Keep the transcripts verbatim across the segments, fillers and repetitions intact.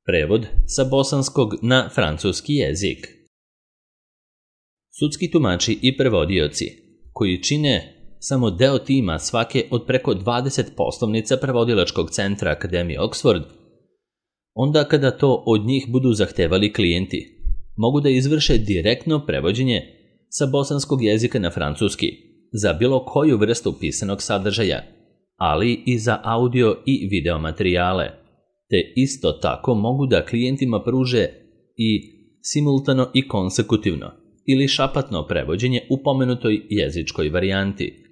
Prevod sa bosanskog na francuski jezik. Sudski tumači i prevodioci, koji čine samo deo tima svake od preko dvadeset poslovnica prevodilačkog centra Akademije Oxford, onda kada to od njih budu zahtevali klijenti, mogu da izvrše direktno prevođenje sa bosanskog jezika na francuski za bilo koju vrstu pisanog sadržaja, ali i za audio i video materijale, te isto tako mogu da klijentima pruže i simultano i konsekutivno ili šapatno prevođenje u pomenutoj jezičkoj varijanti.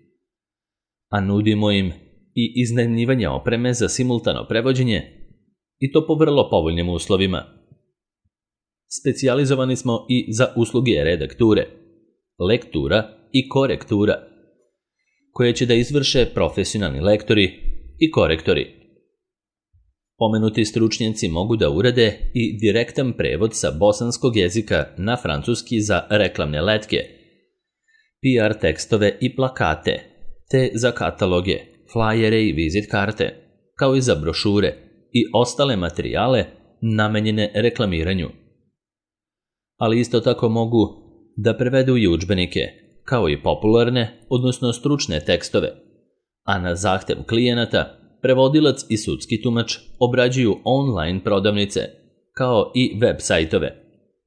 A nudimo im i iznajmljivanje opreme za simultano prevođenje i to po vrlo povoljnim uslovima. Specijalizovani smo i za usluge redakture, lektura i korektura, koje će da izvrše profesionalni lektori i korektori. Pomenuti stručnjaci mogu da urade i direktan prevod sa bosanskog jezika na francuski za reklamne letke, P R tekstove i plakate, te za kataloge, flajere i vizit karte, kao i za brošure i ostale materijale namenjene reklamiranju. Ali isto tako mogu da prevedu i udžbenike, kao i popularne, odnosno stručne tekstove, a na zahtev klijenata prevodilac i sudski tumač obrađuju online prodavnice, kao i web sajtove,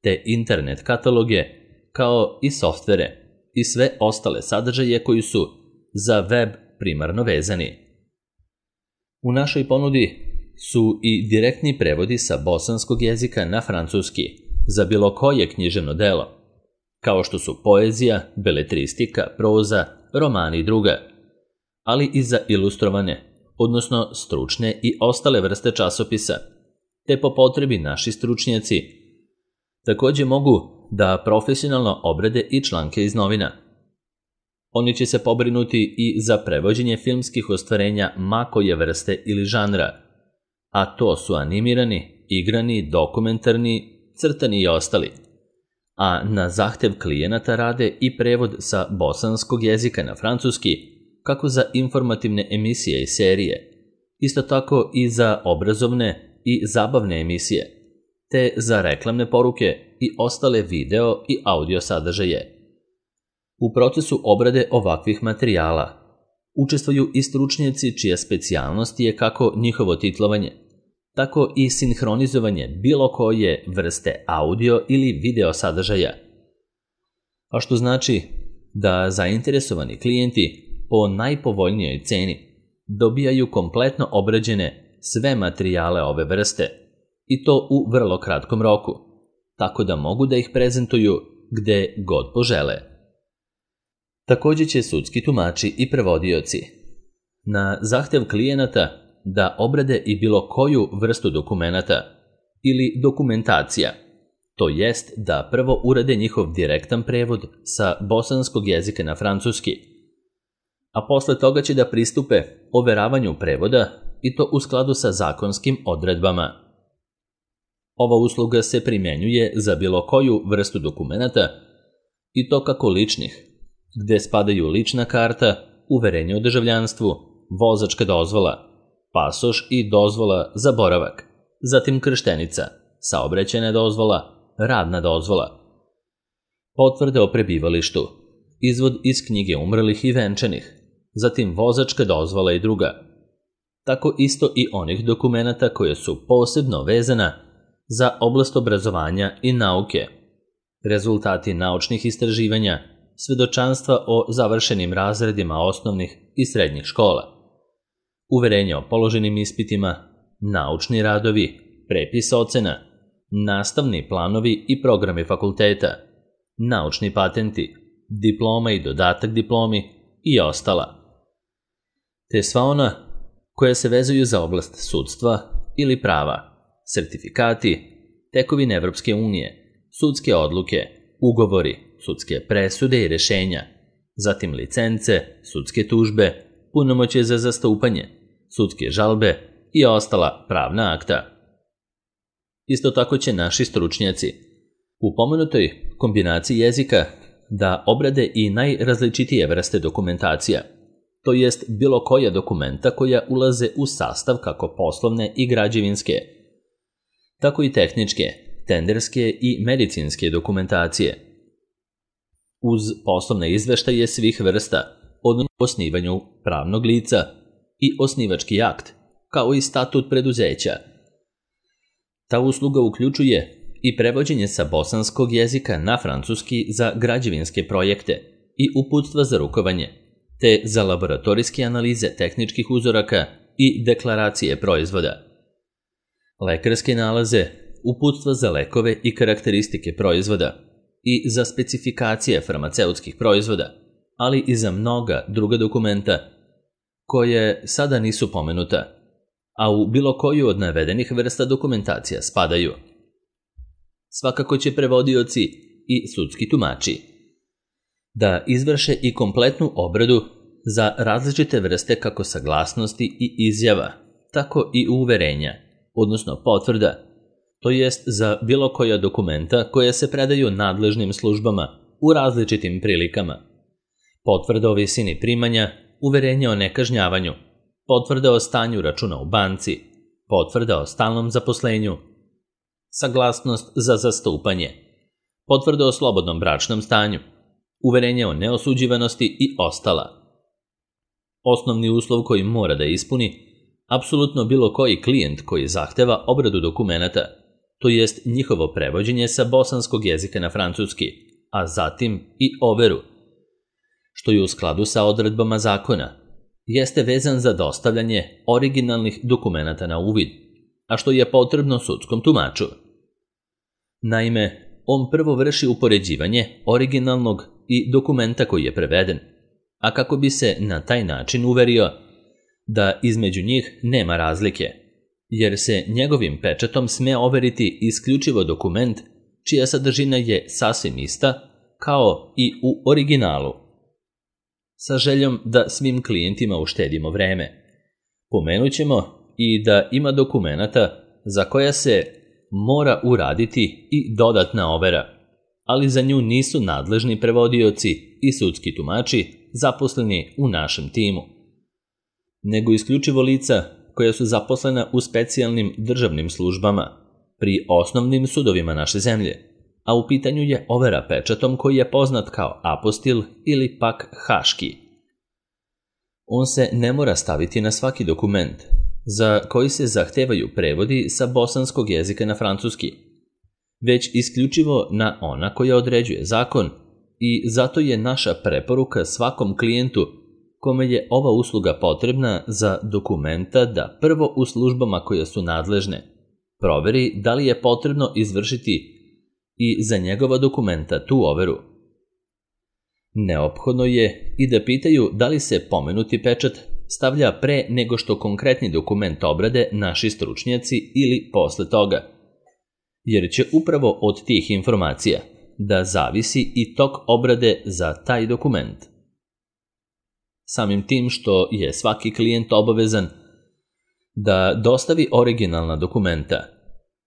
te internet kataloge, kao i softvere i sve ostale sadržaje koji su za web primarno vezani. U našoj ponudi su i direktni prevodi sa bosanskog jezika na francuski za bilo koje književno delo, kao što su poezija, beletristika, proza, romani i druga, ali i za ilustrovane, odnosno stručne i ostale vrste časopisa, te po potrebi naši stručnjaci također mogu da profesionalno obrade i članke iz novina. Oni će se pobrinuti i za prevođenje filmskih ostvarenja ma koje vrste ili žanra, a to su animirani, igrani, dokumentarni, crtani i ostali. A na zahtev klijenata rade i prevod sa bosanskog jezika na francuski, kako za informativne emisije i serije, isto tako i za obrazovne i zabavne emisije, te za reklamne poruke i ostale video i audio sadržaje. U procesu obrade ovakvih materijala učestvuju i stručnjaci čija specijalnost je kako njihovo titlovanje, tako i sinhronizovanje bilo koje vrste audio ili video sadržaja. A što znači da zainteresovani klijenti po najpovoljnijoj ceni dobijaju kompletno obrađene sve materijale ove vrste i to u vrlo kratkom roku, tako da mogu da ih prezentuju gde god požele. Također će sudski tumači i prevodioci na zahtev klijenata da obrade i bilo koju vrstu dokumenata ili dokumentacija, to jest da prvo urade njihov direktan prevod sa bosanskog jezika na francuski, a posle toga će da pristupe overavanju prevoda i to u skladu sa zakonskim odredbama. Ova usluga se primjenjuje za bilo koju vrstu dokumenata i to kako ličnih, gde spadaju lična karta, uverenje o državljanstvu, vozačka dozvola, pasoš i dozvola za boravak, zatim krštenica, saobraćajna dozvola, radna dozvola, potvrde o prebivalištu, izvod iz knjige umrlih i venčanih, zatim vozačka dozvola i druga. Tako isto i onih dokumenata koje su posebno vezana za oblast obrazovanja i nauke, rezultati naučnih istraživanja, svedočanstva o završenim razredima osnovnih i srednjih škola, uverenje o položenim ispitima, naučni radovi, prepis ocena, nastavni planovi i programi fakulteta, naučni patenti, diploma i dodatak diplomi i ostala. Te sva ona koja se vezuju za oblast sudstva ili prava, sertifikati, tekovine Evropske unije, sudske odluke, ugovori, sudske presude i rešenja, zatim licence, sudske tužbe, punomoćje za zastupanje, sudske žalbe i ostala pravna akta. Isto tako će naši stručnjaci u pomenutoj kombinaciji jezika da obrade i najrazličitije vrste dokumentacija, to jest bilo koja dokumenta koja ulaze u sastav kako poslovne i građevinske, tako i tehničke, tenderske i medicinske dokumentacije. Uz poslovne izveštaje svih vrsta, od osnivanju pravnog lica i osnivački akt, kao i statut preduzeća. Ta usluga uključuje i prevođenje sa bosanskog jezika na francuski za građevinske projekte i uputstva za rukovanje, te za laboratorijske analize tehničkih uzoraka i deklaracije proizvoda. Lekarske nalaze, uputstva za lekove i karakteristike proizvoda i za specifikacije farmaceutskih proizvoda, ali i za mnoga druga dokumenta koje sada nisu pomenuta, a u bilo koju od navedenih vrsta dokumentacija spadaju. Svakako će prevodioci i sudski tumači da izvrše i kompletnu obradu za različite vrste kako saglasnosti i izjava, tako i uverenja, odnosno potvrda, to jest za bilo koja dokumenta koje se predaju nadležnim službama u različitim prilikama. Potvrda o visini primanja, uverenje o nekažnjavanju, potvrda o stanju računa u banci, potvrda o stalnom zaposlenju, saglasnost za zastupanje, potvrda o slobodnom bračnom stanju, uverenje o neosuđivanosti i ostala. Osnovni uslov koji mora da ispuni apsolutno bilo koji klijent koji zahteva obradu dokumenata, to jest njihovo prevođenje sa bosanskog jezika na francuski, a zatim i overu, što je u skladu sa odredbama zakona, jeste vezan za dostavljanje originalnih dokumenata na uvid, a što je potrebno sudskom tumaču. Naime, on prvo vrši upoređivanje originalnog i dokumenta koji je preveden, a kako bi se na taj način uverio da između njih nema razlike, jer se njegovim pečatom sme overiti isključivo dokument čija sadržina je sasvim ista kao i u originalu. Sa željom da svim klijentima uštedimo vreme, pomenut ćemo i da ima dokumenata za koja se mora uraditi i dodatna overa, ali za nju nisu nadležni prevodioci i sudski tumači zaposleni u našem timu, nego isključivo lica koja su zaposlena u specijalnim državnim službama pri osnovnim sudovima naše zemlje, a u pitanju je overa pečatom koji je poznat kao apostil ili pak haški. On se ne mora staviti na svaki dokument za koji se zahtevaju prevodi sa bosanskog jezika na francuski, već isključivo na ona koja određuje zakon i zato je naša preporuka svakom klijentu kome je ova usluga potrebna za dokumenta da prvo u službama koje su nadležne proveri da li je potrebno izvršiti i za njegova dokumenta tu overu. Neophodno je i da pitaju da li se pomenuti pečat stavlja pre nego što konkretni dokument obrade naši stručnjaci ili posle toga, jer će upravo od tih informacija da zavisi i tok obrade za taj dokument. Samim tim što je svaki klijent obavezan da dostavi originalna dokumenta,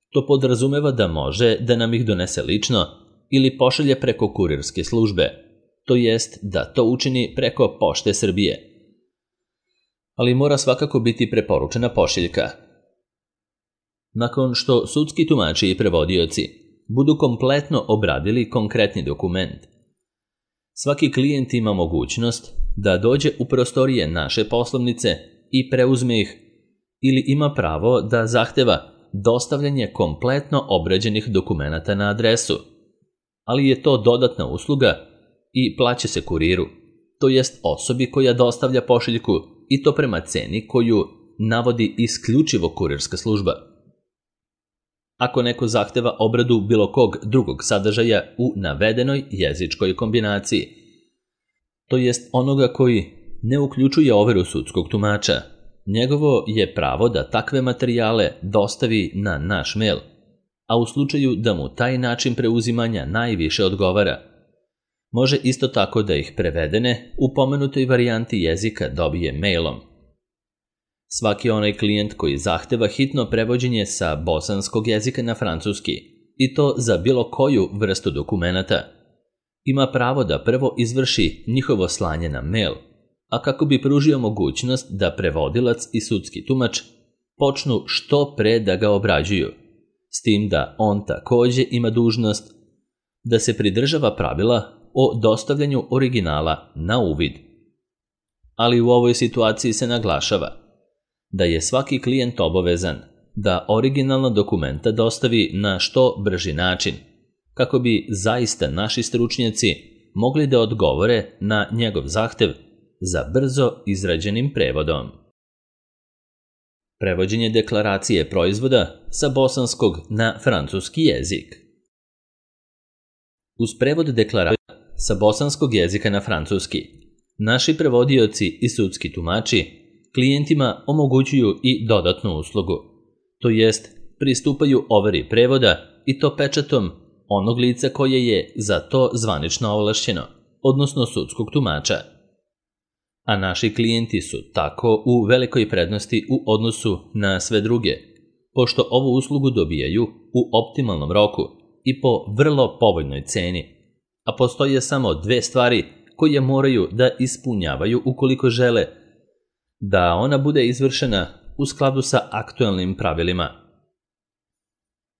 to podrazumeva da može da nam ih donese lično ili pošalje preko kurirske službe, to jest da to učini preko Pošte Srbije. Ali mora svakako biti preporučena pošiljka. Nakon što sudski tumači i prevodioci budu kompletno obradili konkretni dokument, svaki klijent ima mogućnost da dođe u prostorije naše poslovnice i preuzme ih ili ima pravo da zahteva dostavljanje kompletno obrađenih dokumenata na adresu, ali je to dodatna usluga i plaća se kuriru, to jest osobi koja dostavlja pošiljku i to prema ceni koju navodi isključivo kurirska služba. Ako neko zahteva obradu bilo kog drugog sadržaja u navedenoj jezičkoj kombinaciji, to jest onoga koji ne uključuje overu sudskog tumača, njegovo je pravo da takve materijale dostavi na naš mail, a u slučaju da mu taj način preuzimanja najviše odgovara, može isto tako da ih prevedene u pomenutoj varijanti jezika dobije mailom. Svaki onaj klijent koji zahteva hitno prevođenje sa bosanskog jezika na francuski, i to za bilo koju vrstu dokumenata, ima pravo da prvo izvrši njihovo slanje na mail, a kako bi pružio mogućnost da prevodilac i sudski tumač počnu što pre da ga obrađuju, s tim da on takođe ima dužnost da se pridržava pravila o dostavljanju originala na uvid. Ali u ovoj situaciji se naglašava da je svaki klijent obavezan da originalna dokumenta dostavi na što brži način, kako bi zaista naši stručnjaci mogli da odgovore na njegov zahtev za brzo izrađenim prevodom. Prevođenje deklaracije proizvoda sa bosanskog na francuski jezik. Uz prevod deklaracije sa bosanskog jezika na francuski, naši prevodioci i sudski tumači klijentima omogućuju i dodatnu uslugu, to jest pristupaju overi prevoda i to pečatom onog lica koje je za to zvanično ovlašćeno, odnosno sudskog tumača. A naši klijenti su tako u velikoj prednosti u odnosu na sve druge, pošto ovu uslugu dobijaju u optimalnom roku i po vrlo povoljnoj ceni, a postoje samo dve stvari koje moraju da ispunjavaju ukoliko žele da ona bude izvršena u skladu sa aktuelnim pravilima.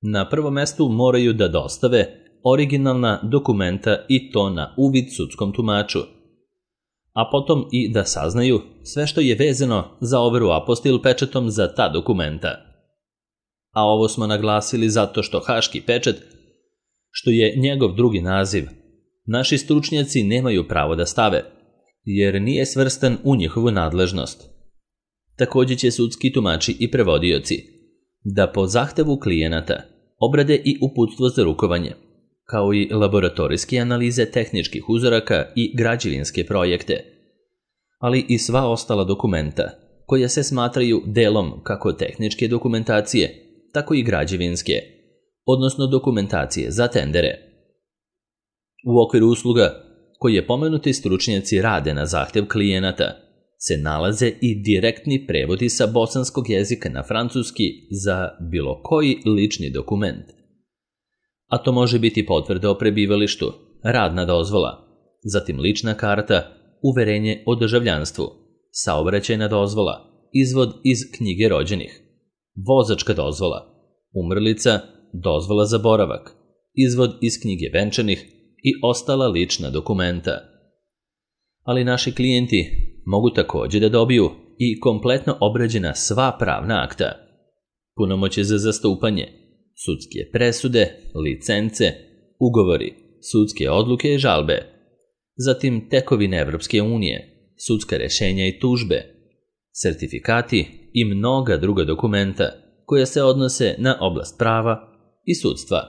Na prvom mestu moraju da dostave originalna dokumenta i to na uvid sudskom tumaču, a potom i da saznaju sve što je vezano za overu apostil pečatom za ta dokumenta. A ovo smo naglasili zato što haški pečat, što je njegov drugi naziv, naši stručnjaci nemaju pravo da stave, jer nije svrstan u njihovu nadležnost. Takođe će sudski tumači i prevodioci da po zahtevu klijenata obrade i uputstvo za rukovanje, kao i laboratorijske analize tehničkih uzoraka i građevinske projekte, ali i sva ostala dokumenta koja se smatraju delom kako tehničke dokumentacije, tako i građevinske, odnosno dokumentacije za tendere. U okviru usluga koje pomenuti stručnjaci rade na zahtev klijenata se nalaze i direktni prevodi sa bosanskog jezika na francuski za bilo koji lični dokument. A to može biti potvrda o prebivalištu, radna dozvola, zatim lična karta, uverenje o državljanstvu, saobraćajna dozvola, izvod iz knjige rođenih, vozačka dozvola, umrlica, dozvola za boravak, izvod iz knjige venčanih i ostala lična dokumenta. Ali naši klijenti mogu takođe da dobiju i kompletno obrađena sva pravna akta, punomoćje za zastupanje, sudske presude, licence, ugovori, sudske odluke i žalbe, zatim tekovine Evropske unije, sudska rešenja i tužbe, sertifikati i mnoga druga dokumenta koja se odnose na oblast prava i sudstva.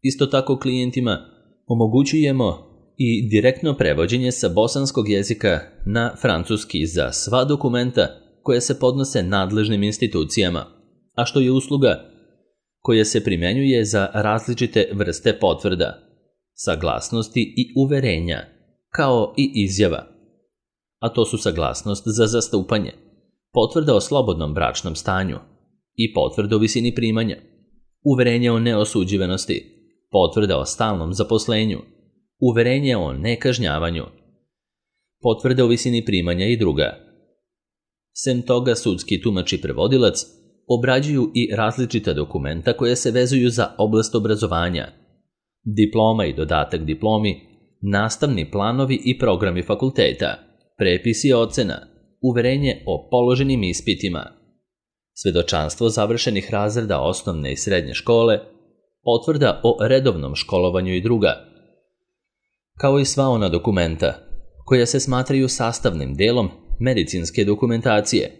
Isto tako klijentima omogućujemo i direktno prevođenje sa bosanskog jezika na francuski za sva dokumenta koja se podnose nadležnim institucijama, a što je usluga koja se primenjuje za različite vrste potvrda, saglasnosti i uverenja, kao i izjava. A to su saglasnost za zastupanje, potvrda o slobodnom bračnom stanju i potvrda o visini primanja, uverenje o neosuđivanosti, potvrda o stalnom zaposlenju, uverenje o nekažnjavanju, potvrda o visini primanja i druga. Sem toga, sudski tumač i prevodilac obrađuju i različita dokumenta koje se vezuju za oblast obrazovanja, diploma i dodatak diplomi, nastavni planovi i programi fakulteta, prepisi ocena, uverenje o položenim ispitima, svedočanstvo završenih razreda osnovne i srednje škole, potvrda o redovnom školovanju i druga, kao i sva ona dokumenta koja se smatraju sastavnim delom medicinske dokumentacije,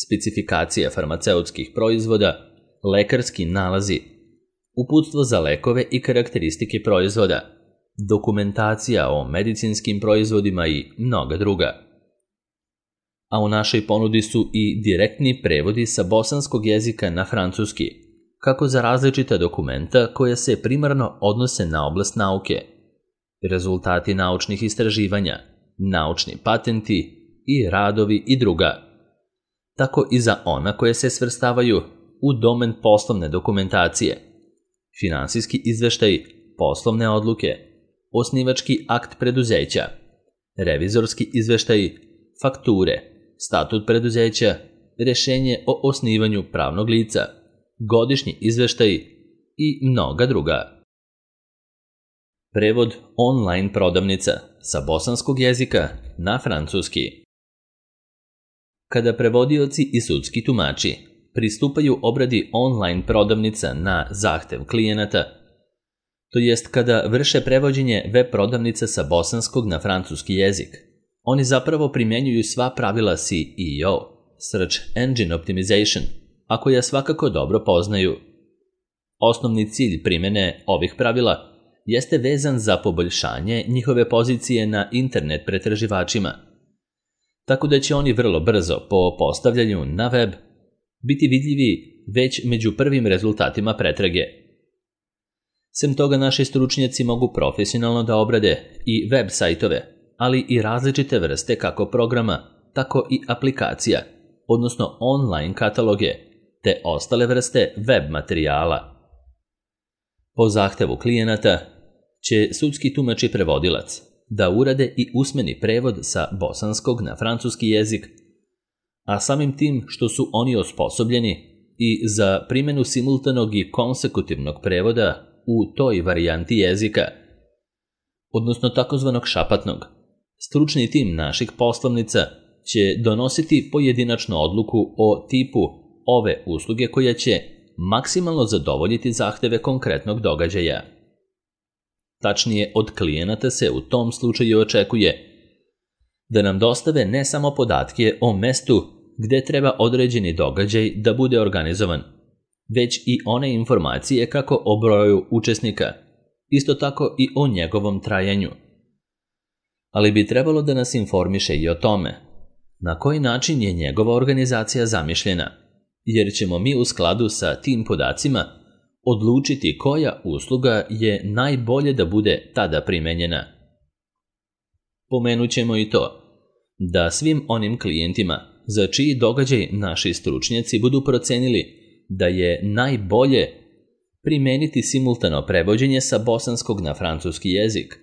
specifikacija farmaceutskih proizvoda, lekarski nalazi, uputstvo za lekove i karakteristike proizvoda, dokumentacija o medicinskim proizvodima i mnoga druga. A u našoj ponudi su i direktni prevodi sa bosanskog jezika na francuski, kako za različita dokumenta koja se primarno odnose na oblast nauke, rezultati naučnih istraživanja, naučni patenti i radovi i druga, tako i za ona koje se svrstavaju u domen poslovne dokumentacije, finansijski izveštaj, poslovne odluke, osnivački akt preduzeća, revizorski izveštaj, fakture, statut preduzeća, rešenje o osnivanju pravnog lica, godišnji izveštaji i mnoga druga. Prevod online prodavnica sa bosanskog jezika na francuski. Kada prevodioci i sudski tumači pristupaju obradi online prodavnica na zahtev klijenata, to jest kada vrše prevođenje web prodavnice sa bosanskog na francuski jezik, oni zapravo primjenjuju sva pravila S E O, Search Engine Optimization, a koja svakako dobro poznaju. Osnovni cilj primjene ovih pravila jeste vezan za poboljšanje njihove pozicije na internet pretraživačima, tako da će oni vrlo brzo po postavljanju na web biti vidljivi već među prvim rezultatima pretrage. Sem toga, naši stručnjaci mogu profesionalno da obrade i web sajtove, ali i različite vrste kako programa, tako i aplikacija, odnosno online kataloge, te ostale vrste web materijala. Po zahtevu klijenata će sudski tumač i prevodilac da urade i usmeni prevod sa bosanskog na francuski jezik, a samim tim što su oni osposobljeni i za primjenu simultanog i konsekutivnog prevoda u toj varijanti jezika, odnosno takozvanog šapatnog, stručni tim naših poslovnica će donositi pojedinačnu odluku o tipu ove usluge koja će maksimalno zadovoljiti zahteve konkretnog događaja. Tačnije, od klijenata se u tom slučaju očekuje da nam dostave ne samo podatke o mestu gde treba određeni događaj da bude organizovan, već i one informacije kako o broju učesnika, isto tako i o njegovom trajanju. Ali bi trebalo da nas informiše i o tome na koji način je njegova organizacija zamišljena, jer ćemo mi u skladu sa tim podacima odlučiti koja usluga je najbolje da bude tada primenjena. Pomenut ćemo i to da svim onim klijentima za čiji događaj naši stručnjaci budu procenili da je najbolje primeniti simultano prevođenje sa bosanskog na francuski jezik,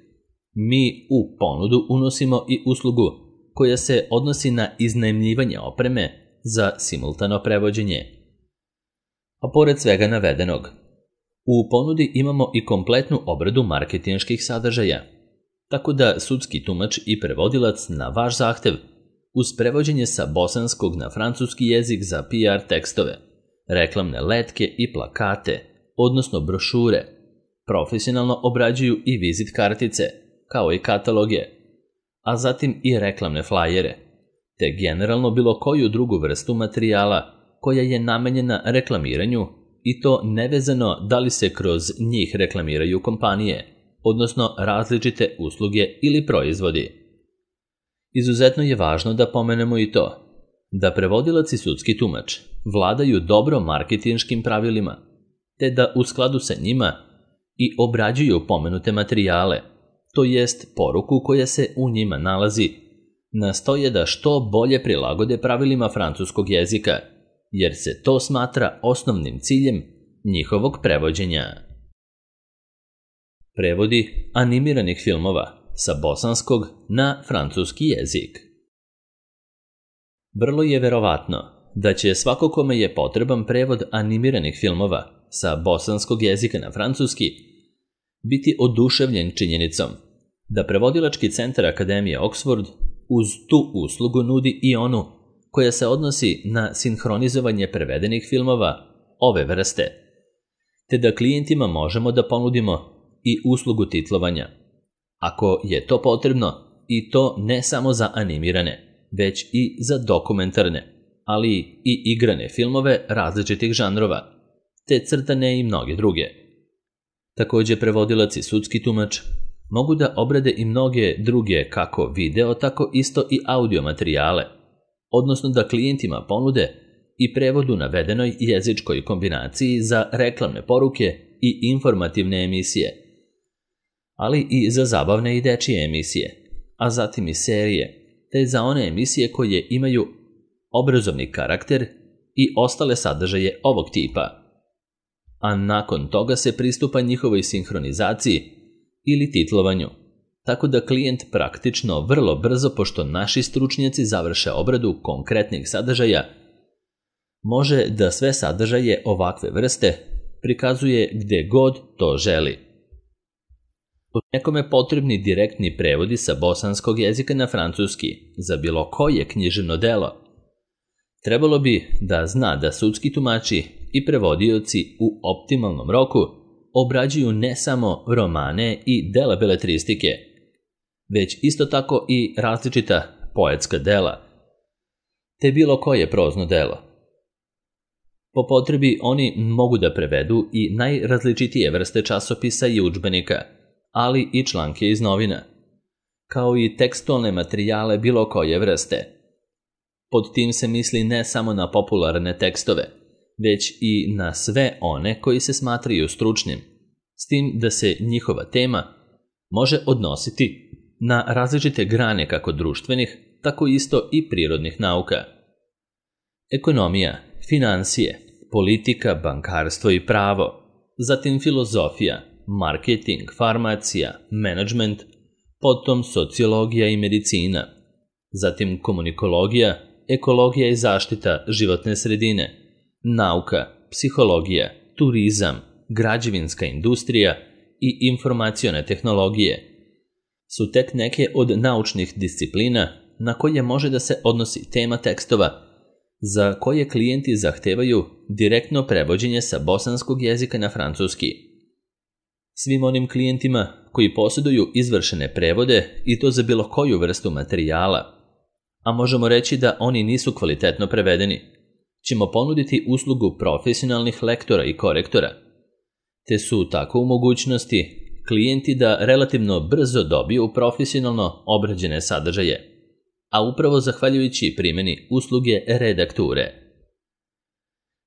mi u ponudu unosimo i uslugu koja se odnosi na iznajmljivanje opreme za simultano prevođenje. A pored svega navedenog, u ponudi imamo i kompletnu obradu marketinških sadržaja, tako da sudski tumač i prevodilac na vaš zahtev uz prevođenje sa bosanskog na francuski jezik za P R tekstove, reklamne letke i plakate, odnosno brošure, profesionalno obrađuju i vizit kartice, kao i kataloge, a zatim i reklamne flajere, te generalno bilo koju drugu vrstu materijala koja je namenjena reklamiranju, i to nevezano da li se kroz njih reklamiraju kompanije, odnosno različite usluge ili proizvodi. Izuzetno je važno da pomenemo i to da prevodilac i sudski tumač vladaju dobro marketinškim pravilima, te da u skladu sa njima i obrađuju pomenute materijale, to jest poruku koja se u njima nalazi, nastoje da što bolje prilagode pravilima francuskog jezika, jer se to smatra osnovnim ciljem njihovog prevođenja. Prevodi animiranih filmova sa bosanskog na francuski jezik. Vrlo je verovatno da će svako kome je potreban prevod animiranih filmova sa bosanskog jezika na francuski biti oduševljen činjenicom da prevodilački centar Akademije Oxford uz tu uslugu nudi i onu koja se odnosi na sinhronizovanje prevedenih filmova ove vrste, te da klijentima možemo da ponudimo i uslugu titlovanja, ako je to potrebno, i to ne samo za animirane, već i za dokumentarne, ali i igrane filmove različitih žanrova, te crtane i mnoge druge. Također prevodilac i sudski tumač mogu da obrade i mnoge druge kako video, tako isto i audio materijale, odnosno da klijentima ponude i prevod u navedenoj jezičkoj kombinaciji za reklamne poruke i informativne emisije, ali i za zabavne i dečije emisije, a zatim i serije, te za one emisije koje imaju obrazovni karakter i ostale sadržaje ovog tipa. A nakon toga se pristupa njihovoj sinhronizaciji ili titlovanju, tako da klijent praktično vrlo brzo, pošto naši stručnjaci završe obradu konkretnih sadržaja, može da sve sadržaje ovakve vrste prikazuje gde god to želi. Ako nekome potrebni direktni prevodi sa bosanskog jezika na francuski za bilo koje književno delo, trebalo bi da zna da sudski tumači i prevodioci u optimalnom roku obrađuju ne samo romane i dela beletristike, već isto tako i različita poetska dela, te bilo koje prozno delo. Po potrebi oni mogu da prevedu i najrazličitije vrste časopisa i udžbenika, ali i članke iz novina, kao i tekstualne materijale bilo koje vrste. Pod tim se misli ne samo na popularne tekstove, već i na sve one koji se smatraju stručnim, s tim da se njihova tema može odnositi na različite grane kako društvenih, tako isto i prirodnih nauka. Ekonomija, finansije, politika, bankarstvo i pravo, zatim filozofija, marketing, farmacija, menadžment, potom sociologija i medicina, zatim komunikologija, ekologija i zaštita životne sredine, nauka, psihologija, turizam, građevinska industrija i informacione tehnologije su tek neke od naučnih disciplina na koje može da se odnosi tema tekstova za koje klijenti zahtevaju direktno prevođenje sa bosanskog jezika na francuski. Svim onim klijentima koji posjeduju izvršene prevode i to za bilo koju vrstu materijala, a možemo reći da oni nisu kvalitetno prevedeni, ćemo ponuditi uslugu profesionalnih lektora i korektora, te su tako u mogućnosti klijenti da relativno brzo dobiju profesionalno obrađene sadržaje, a upravo zahvaljujući primjeni usluge redakture.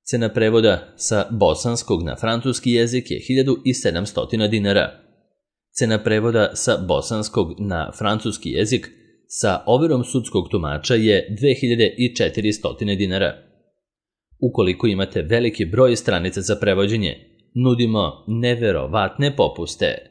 Cena prevoda sa bosanskog na francuski jezik je hiljadu sedamsto dinara. Cena prevoda sa bosanskog na francuski jezik sa overom sudskog tumača je dve hiljade četiristo dinara. Ukoliko imate veliki broj stranica za prevođenje, nudimo neverovatne popuste.